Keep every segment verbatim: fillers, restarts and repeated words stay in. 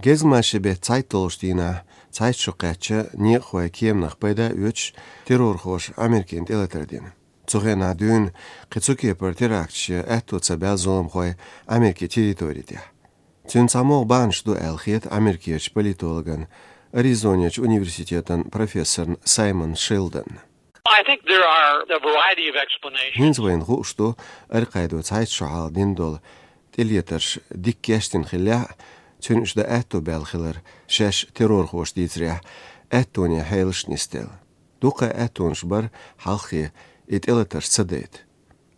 Гезгмашин бетта цхьайтталгӀачу дийнахь цхьайтта шо кхаьчча, некъахойн кеманах пайда оьцуш, террорхоша Америкина тӀелатар дина. Цу хенахь дуьйна кхин цу кепара теракташ ян аьтто ца баьлла зуламхой Америкин территори тӀехь. Цуьнан цхьа могӀа бахьанаш ду аьлла хета америкерчу политологна, Аризонерчу университетан профессорна Саймон Шелдонна. I think there are a variety of explanations. ХӀинца вайна хууш ду, Аль-Къаидо цхьайтта шо хьалха дина долу тӀелатарш дика кечдина хиллехь а, цуьнан уьш дан аьтто баьлла хилар, шаьш террорхоша дийцарехь, аьттонан хьелаш нисделла. Дуккха а аьттонаш бара хьалххе и тӀелатарш ца дайта.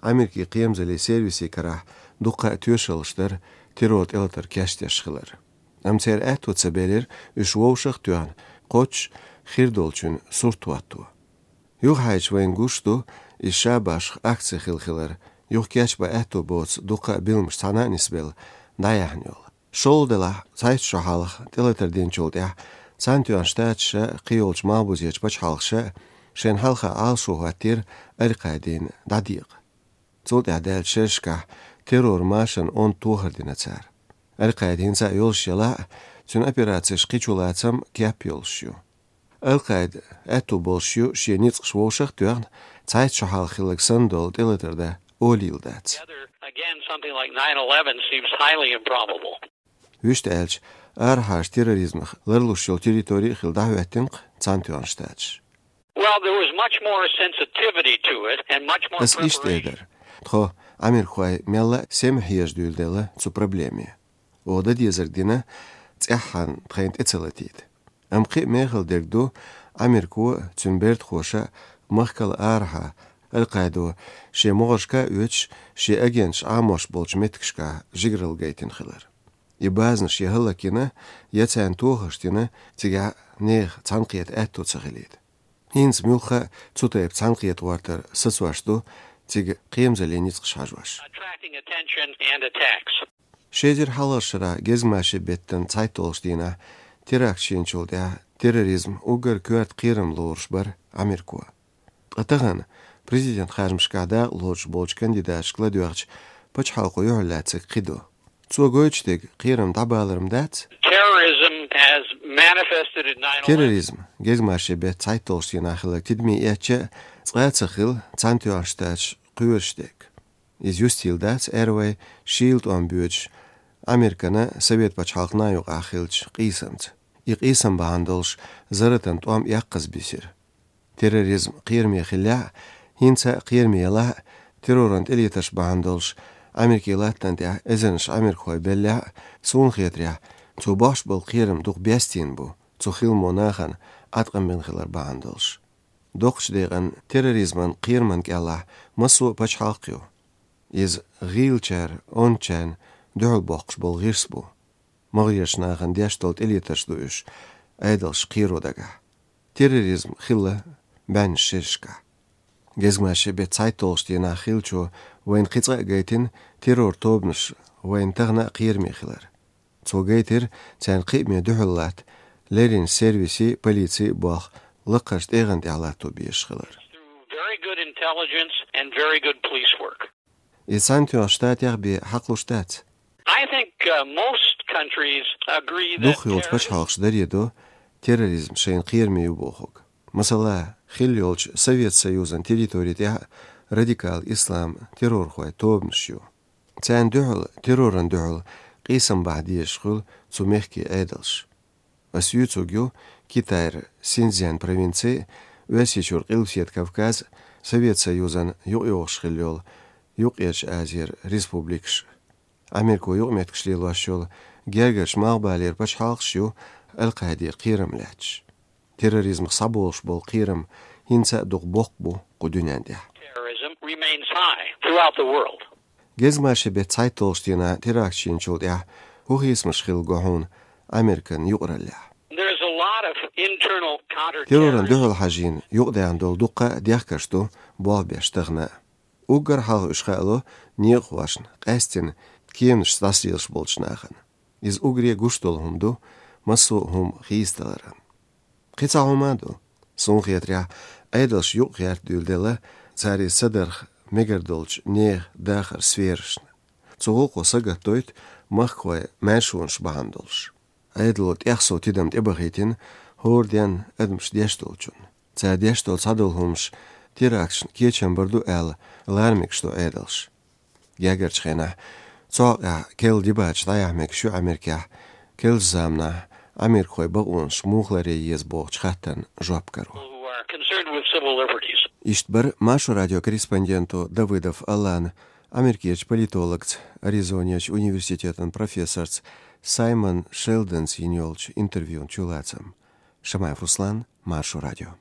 Америкин кхерамзаллин сервисийн карахь дуккха а тоьшаллаш дара террор тӀелатар кечдеш хилар. Амма церан аьтто ца белира уьш вовшах а тоьхна, кхоччуш хир долчун сурт хӀотто. Юхахьайча вайна гуш ду, иза ша башха акци хилла хилар, юха кечбан аьтто боцу дуккха а билламаш цхьаьна а нисбелла, дӀаяьхьна йолу. ШолгӀа делахь, цхьайтта шо хьалха тӀелатар динчул тӀаьхьа Цхьаьнатоьхна Штаташа а, кхийолчу малхбузерчу пачхьалкхаша а шайна хьалха Ӏалашо хӀоттийра Аль-Къаидина дӀадекъа. Цул тӀаьхьа даьллачу шерашкахь террор машанан онда тохар дина цара. Аль-Къаида хӀинца а йолуш елахь а, цуьнан операцеш кхин чулацам кеп йолуш ю. Аль-Къаида аьтту болуш ю шен ницкъаш вовшах а тоьхна, цхьайтта шо хьалха хилларг санна долу тӀелатар дан олийла дац. Again, something like nine eleven seems highly improbable. Вуьшта аьлча, арахьара терроризмах ларлуш йолу территори а хилла дӀахӀоьттина-кх Цхьаьнатоьхна Штаташ. Well, there was much more sensitivity to it and much more... Ас иштта эр дара. Тхо, америкахой, мелла а сема хьежа дуьйладелла цу проблеме. Оха дан дезарг дина, цӀеххьана тхайна тӀе ца латийта. Амма кхин а мехала дерг ду, Америко а, цуьнан бертахоша а махкал арахьа Аль-Къаидо шен могӀаршка а оьцуш, шен агенташ Ӏамош болчу меттигашкахь жигаралла гайтина хилар. И базанаш я хӀаллакйина, я царна тохарш дина, цигахь нехан цхьаьнакхета аьтто ца хилийта. ХӀинца муьлхха а цу тайпа цхьаьнакхета гӀортар сацош ду цига кхерамзаллин ницкъаш хьажош. Attracting attention and attacks. Ши эзар хьалхарчу шарахь гезгмашин беттан цхьайтталгӀачу дийнахь теракташ йинчул тӀаьхьа терроризм уггар коьрта кхерам лоруш бара Америко. Ткъа тахана президент харжамашкахь дакъа лоцуш болчу кандидаташка ладоьгӀча, пачхьалкхо юьхьарлаьцнарг кхин ду. Цо гойтуш дерг кхерам дӀабалар-м дац? Terrorism as manifested in nine eleven. Терроризм, гезгмашин беттан цхьайтталгӀачу дийнахь хилларг тидаме эцча а, цкъа а ца хилла Цхьаьнатоьхна Штаташ кхоьруш дерг. Иза юстийла дац, аьлла вай, шийла тӀом боьдуш, Американа Совет пачхьалкхана юкъахь хиллачу къийсамца. И къийсам бахьана долуш зарратан тӀом эккхаза бисира. Терроризм кхераме хиллехь а, хӀинца а кхераме елахь а, терроран тӀелатарш бахьана долуш Америкин латтана тӀехь эзарнаш америкахой беллехь а, суна хетарехь, цо бохьуш болу кхерам дукха бестийна бу, цу хиламо нахана Ӏаткъам бина хилар бахьана долуш. Доккхачу декъана терроризман кхераман кӀелахь массо а пачхьалкх ю. Иза гӀийлачара ончарна дуьхьал боккхуш болу гӀирс бу. МагӀарерчу нахана деш долу тӀелатарш ду уьш, Ӏедалш кхеро дагахь. Терроризм хилла бӀеннаш шерашкахь. Гезгмашин беттан цхьайтталгӀачу дийнахь хиллачо вайна кхин цкъа а гайтина террор тобанаш вайна тахана а кхераме хилар. Цо гайтира царна кхиаме дуьхьал латта леррина сервисийн, полицин болх лакхарчу тӀегӀан тӀехь латто безаш хилар. Very good intelligence and very good police work. Иза Цхьаьнатоьхначу Штатех бен хьакхалуш дац? I think, uh, most countries agree that... Дукхахйолчу пачхьалкхаша даре до терроризм шайна кхераме ю бохург. Масала, хилла йолчу Совет Союзан территори тӀехь радикал ислам террорхойн тобанаш ю. Царна дуьхьал, терроран дуьхьал къийсам бахьа дезаш хуьлу цу мехкийн Ӏедалш. Ас юьйцург ю Китайра Синьцзян провинци, Оьрсийчуьра Къилбаседа Кавказ, Совет Союзан юкъайогӀуш хилла йолу Юккъерчу Азера республикаш. Америко юкъаметтигаш лелош йолу гергарчу малхбалера пачхьалкхаш ю Аль-Къаиде кхерам лаьтташ. Терроризмах схьаболуш болу кхерам хӀинца а дукха боккха бу кху дуьнен тӀехь. Terrorism remains high throughout the world. Гезгмашин беттан цхьайтталгӀачу дийнахь теракташ йинчул тӀаьхьа хӀун хийцамаш хилла го хьуна Американ юкъараллехь? There's a lot of internal counter... Терроран дуьхьал хьажийна юкъадаьхна долу дуккха а дехкарш ду болх беш тахана а. Уггар хьалха уьш хаало некъахошна, къаьсттина кеманашца дӀасалелаш болчу нахана. Иза уггаре гуш долу хӀума ду массо а хӀума хийцадаларан. Кхин цхьа хӀума а ду. Суна хетарехь, Ӏедалш юкъагӀерта дуьйладелла цара иза ца дарх мегар долчу нехан дахаран сферашна. Цу гӀуллакхо сагатдойту махкахой маьршонаш бахьана долуш. Ӏедало тӀех сов тидам тӀебахийтина хӀора денна адамаш деш долчунна. Цара деш долу цхьадолу хӀумаш теракташна кечам бар ду аьлла, ларамегаш ду Ӏедалша. Гергарчу хенахь цу хьокъехь керла дебаташ дӀаяхьа мегаш ю Америкехь, керлачу заманахь америкахойн бакъонаш муха ларъян еза бохучу хаттарна жоп каро. Иштта бара Маршо радион корреспонденто Давыдов Алана Америкерчу политологца, Аризонерчу университетан профессорца Саймон Шелдонца йина йолчу интервьюн чулацам. Шамаев Руслан, Маршо радио.